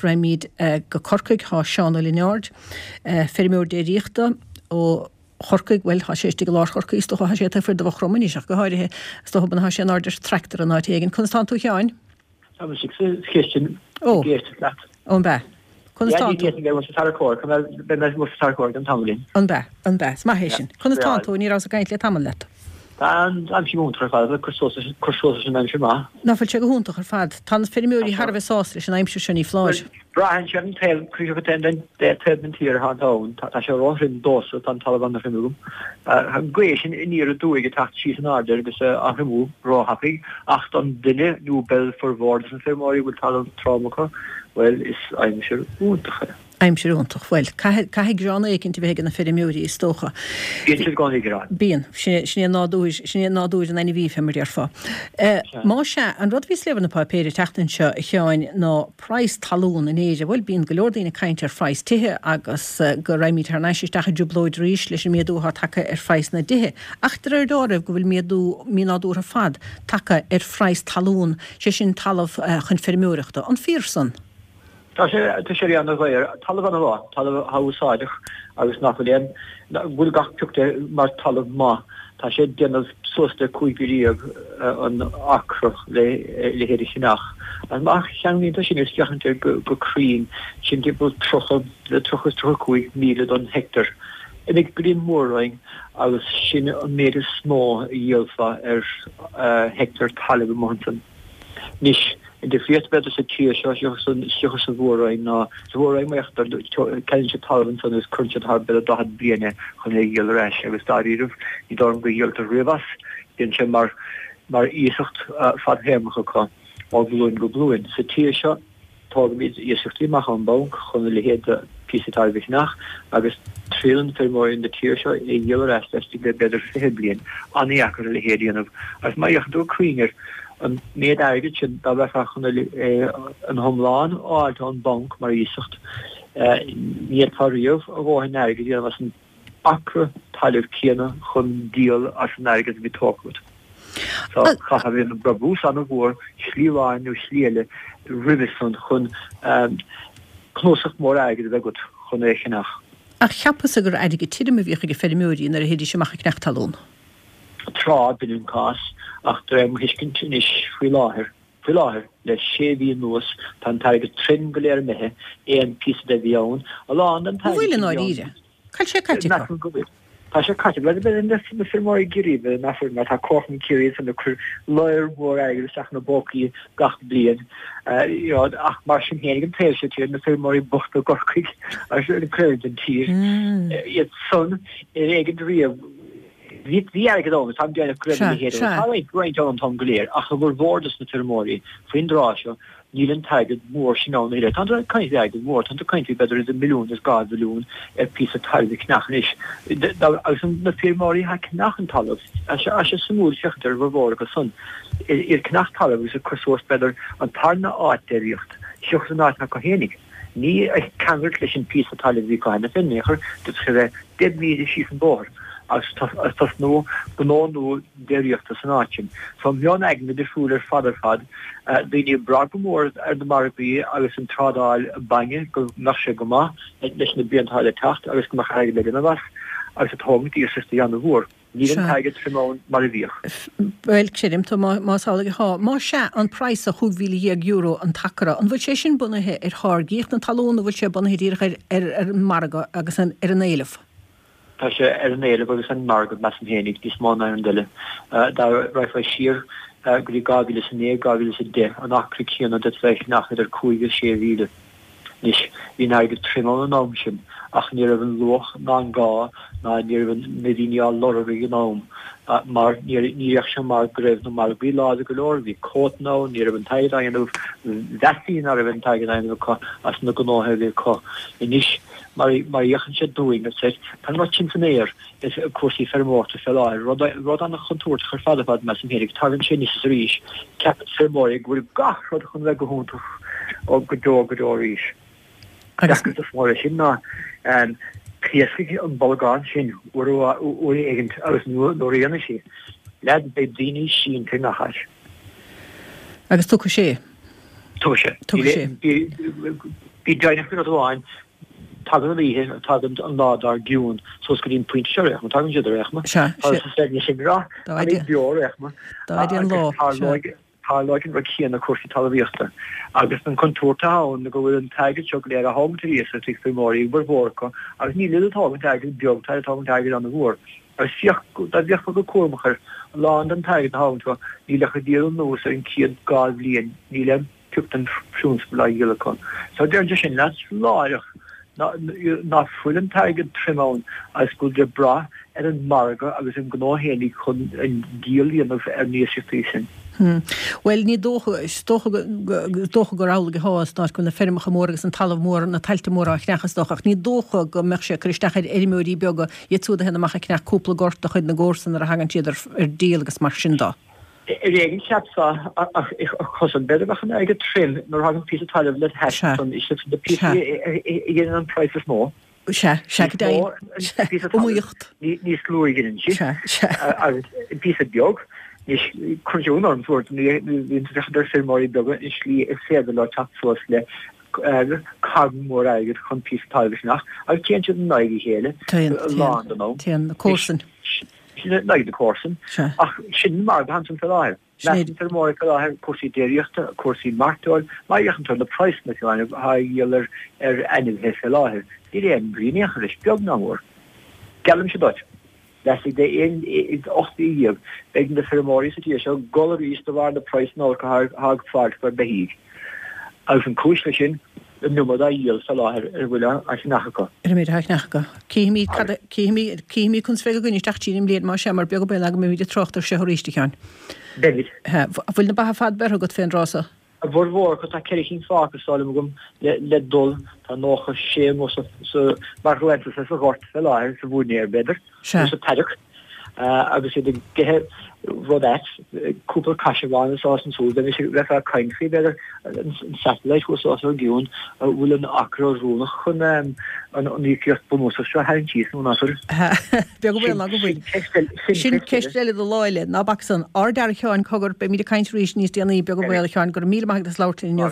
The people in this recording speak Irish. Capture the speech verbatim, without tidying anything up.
Raghaimid go Corcaigh, tá Seán Ó Lionáird, feirmeoir déiríochta ó Chorcaigh, bhuel, tá sé istigh i lár Chorcaí, is dócha, tá sé taobh thiar de Mhaigh Chromtha anois ach go háirithe, is dócha, tá sé in airde ar tractor in áit éigin. Conas tánn tú a Sheáin? Tá mise sa chistin ag éisteacht leat. Ó, an b'ea? Conas tánn tú? Ní bheidh mé sa tarracóir, beidh mé sa tarracóir don tamaillín. An b'ea? An b'ea? Is maith é sin. Conas tánn tú? Ní rabhas ag caint le tamall leat. Tá an aimsir go hiontach ar fad, cur suas cur suas leis an aimsir maith. Ná fuil sé go hiontach ar fad? Tá na feirmeoirí thar a bheith sásta leis an aimsir seo, ní foláir. Braitheann sé ar an taobh, críocha den taobh den tír atá ann. Tá sé róthrom domhsa, tá an talamh an-throm agam. Tá an ghaoth sin aniar aduaidh ag teacht síos in airde agus á thriomú róthapaidh, ach don duine nó b'fhéidir formhór de na feirmeoirí a bhfuil talamh trom acu, bhuel, is aimsir iontach é. Aimsir iontach. Bhuel, caithfidh, caithfidh gearán éicint a bheith ag na feirmeoirí, is dócha. Bíonn siad i gcónaí ag gearán. Bíonn. Sin é, sin é nádúr, sin é nádúr an ainmhí, fé mar a déarfá. Má sea, an rud a bhíos ag léamh ar na páipéir an tseachtain seo, a Sheáin, ná praghas talún in Éirinn. Bhuel, bíonn go leor daoine ag caint ar phraghas tithe agus go raghaimid thar n-ais isteach i dtrioblóid arís leis an méadú atá tagtha ar phraghas na dtithe. Ach de réir dealraimh go bhfuil méadú mínádúrtha ar fad tagtha ar phraghas talún, sé sin talamh chun feirmeoireachta. An fíor san? Tá sé, tá sé ana-dhaor. Talamh ana-mhaith, talamh atá úsáideach agus nach bhfuil aon, bhfuil gach pioc de mar talamh maith. Tá sé ag déanamh suas le cúig mhíle dhéag an acra le leithéid a cheannach. Agus má cheanglaíonn tú sin agus féachann tú go, go cruinn, sin timpeall tríocha le tríocha is tríocha cúig míle don heicteár. Imigh go dtí an Mhór-Roinn agus sin an méid is mó a dhíolfá ar heicteár talaimh amuigh ansan. Anois, an difríocht b'fhéidir sa tír seo seachas sa Mhór-Roinn ná, sa Mhór-Roinn mar ceannaíonn siad talamh ansan agus cuireann siad thar b'fhéidir daichead bliain é chun é a dhíol ar ais agus dáiríribh ní dóigh liom go dhíoltar riamh as, bíonn sé mar mar iasacht fadthéarmach acu ó ghlúin go glúin. Sa tír seo. Tógaimid iasachtaí amach ón mbanc chun a leithéid de phíosa talaimh a cheannach agus triaileann feirmeoirí na tíre seo é a dhíol ar ais laistigh de b'fhéidir fiche bliain. An-dheacair a leithéid a dhéanamh agus má fhéachann tú go cruinn air, an méid airgid sin, dá mbeifeá chun an t-iomlán a fháilt ón mbanc mar iasacht, ní fhéadfá riamh a dhóthain airgid a dhéanamh as an acra talaimh céanna chun díol as an airgead a bhí tógtha agat. So chaithfeá a bheith ag déanamh brabús an-mhór, slí amháin nó slí eile, roimhe san chun cnuasach mór airgid a bheith agat chun é a cheannach. Ach cheapas-sa gur airgead tirim a bhíodh ag feirmeoirí nuair a théidís amach ag ceannach talún. Tráth, b'in an cás, ach de réir mo thuiscint anois faoi láthair, faoi láthair, le sé mhí anuas, tá an t-airgead tirim go léir imithe, aon phíosa de a bhí ann, a lán den An t-airgead bhfuil i sin a bhí ann. ndáiríre? Cá bhfuil sé caite acu? Measaim go bhfuil. Tá sé caite. Bhuel, b'fhéidir na feirmeoirí i gCiarraí, b'fhéidir nach bhfuil, mar tá Comharchumann Chiarraí ansan ag cur lear mór airgid isteach ina bpócaí gach bliain. You know, ach mar sin féin, ag an taobh seo tíre, na feirmeoirí bochta i gCorcaigh agus an cuid den tír, iad san ar éigean riamh, bhí bhí airgead ann, táim ag déanamh go raibh a Sea, leithéid ann. sea. Tá roinnt, roinnt ann an t-am go léir, ach i bhformhór dos na feirmeoirí faoin dtráth seo, Níl an t-airgead mór sin ann a thuilleadh. Táim ag caint faoi airgead mór, táim ag caint faoi b'fhéidir idir milliún is dhá mhilliún ar phíosa talaimh a cheannach anois. Agus na feirmeoirí atá ag ceannach an talamh, tá sé suimiúil féachaint ar a bhformhór acu san, iad ag ceannach talaimh agus ag cur suas b'fhéidir an tarna áit déiríocht seachas an áit acu fhéinig. Ní ag ceangailt leis an phíosa talaimh a bhí acu cheana féin in aon chor, d'fhéadfadh sé a bheith deich míle síos an bóthar agus tosnú gnó nua déiríochta san áit sin. So meon-aigne difriúil ar fad ar fad. Daoine ag brath go mór ar na margaí agus an trádáil bainne go mbeadh sé go maith leis na blianta atá le teacht agus go mbeadh airgead le déanamh as agus ag tógaint iasachtaí an-mhór. Níl an t-airgead tirim ann mar a bhíodh. Bhuel, creidim tú más amhlaidh atá. Más ea, an praghas de chúig mhíle dhéag euro an t-acra, an bhfuil sé sin bunaithe ar tháirgíocht na talún nó bhfuil sé bunaithe díreach ar ar an margadh agus ar an éileamh? Tá sé ar an éileamh agus an margadh, measaim féinig, níos mó ná aon rud eile. Dá raghfá siar go dtí dhá mhíle is a naoi, dhá mhíle is a deich, an acra céanna d'fhéadfá é a cheannach idir cúig agus sé mhíle. Anois, bhí an airgead tirim ann an am sin ach ní raibh an luach ná an gá ná ní raibh na daoine á lorg ag an am mar ní bhíodh sé mar go raibh na margaí láidir go leor, bhí cuótanna ann, ní raibh an t-airgead á dhéanamh, mheastaí ná raibh an t-airgead á dhéanamh acu as na gnóthaí a bhí acu. Anois, Mar a fhéachann sé dúinn, tá an rud sin san aer i cúrsaí feirmeoireachta fé láthair, rud an-chontúirteach ar fad ar fad, measaim féinig. Tagann sé aníos is arís. Ceapann feirmeoirí go bhfuil gach rud chun bheith go hiontach ó go deo go deo arís. Deacracht is mó leis sin ná pléascfaidh an bolgán sin uair uair éigint agus nuair a dhéanfaidh sé, leaid, beidh daoine sínte i ngach áit. Agus tiocfaidh sé. Tuigfidh sé. Tuigfidh sé. Bí deimhneach faoi rud amháin, tagann an oíche, tagann an lá dár gcionn suas go dtí an pointe seo ar aon chuma, tagann siad ar aon chuma. Sea, sea. Tá sé sin rath, Dá fhaide. beo ar aon chuma. Dá fhaide an lá, sea. Tarlóidh an rud céanna cúrsaí talmhaíochta. Agus an chontúirt atá ann go bhfuil an t-airgead seo go léir á thógaint ar iasacht ag feirmeoirí, a bhformhór acu, agus níl iad ag tógaint airgead beag, tá siad ag tógaint airgead an-mhór. Agus féach, dá bhféachfá go cúramach air, a lán den t-airgead a thógann tú, níl ach ag díol anuas ar an chéad dhá bhliain, níl aon phioc den phrionsabal á dhíol acu. So deireann sé sin leat láithreach ná fuil an t-airgead tirim ann agus go bhfuil sé ag brath ar an margadh agus an gnó fhéinig chun an díol a dhéanamh ar na hiasachtaí sin. Bhuel, ní dócha, is dócha go, is dócha gur amhlaidh atá san áit go bhfuil na feirmeacha móra agus an talamh mór, na tailte móra á cheannach is dócha, ach ní dócha go mbeadh sé ag cur isteach ar fheirmeoirí beaga, iad siúd a théann amach ag ceannach cúpla gort de chuid na gcomharsan nuair a thagann siad ar ar díol agus mar sin de. Ar éigean cheapfá ach chosain b'fhéidir bheadh an airgead tirim nuair a thagann píosa talaimh led hais san is iad na píosaí a dhéanann an praghas is mó. Sea, sea, go deimhin. Sea, iomaíocht. Níos lú a ghineann sí. Sea, sea. Agus píosa beag, anois cuireann sé ionadh orm tabhairt nuair a bhíonn tú ag féachaint ar feirmeoirí beaga an slí is féidir leo teacht suas le carn mór airgid chun píosa talaimh a cheannach agus téann siad in aghaidh a chéile Téann, a lán den téann, am. téann na comharsain. Sin in aghaidh na comharsan. Ach sin an margadh ansan fé láthair. Measann feirmeoirí fé láthair cúrsaí déiríochta, cúrsaí mairteoil, má fhéachann tú ar na praghsanna fiú atá á dhíol ar ar ainmhithe fé láthair, níl aon bhrí in aon chor leis, beag ná mór. Geallaimse duit, laistigh de aon ocht mhí dhéag, beidh na feirmeoirí sa tír seo ag gol arís de bharr na praghsanna olca atá ag fáilt ar beithígh. Agus an cúis leis sin, an iomad á dhíol fé láthair ar a bhfuil á cheannach acu. Ar an méid atá á cheannach acu. Cífimid cad a, cífimid, cífimid conas a bheidh againn isteach tríd an mbliain, más ea, mar beag an baol ná go mbeimid ag trácht air seo arís, a Sheáin. Beimid. An bhfuil na ba ar fad beirthe agat fén dtráth so? A bhformhór acu, tá ceithre chinn fágtha is dóigh liom agam le, le dul. Tá nócha sé amuigh sa, sa, mar ghleannta sa ghort fé láthair, sa mhóinéar b'fhéidir, Sea. nó sa paddock. Agus iad ag ithe rud ait, cúpla caisearbhán is ás an súil, bheimis ag bheifeá ag caint faoi, b'fhéidir, an satellite thuas os ár gcionn, an bhfuil an acra oiriúnach chun an íocaíocht bunúsach seo a tharraingt síos nó nach bhfuil. Beag an baol ná go bhfuil. Sin ceist eile do lá eile. Ná bac san. Ardfhear a Sheáin, cogar, beimid ag caint arís níos déanaí, beag an baol, a Sheáin, go raibh míle maith agat as labhairt linn inniu.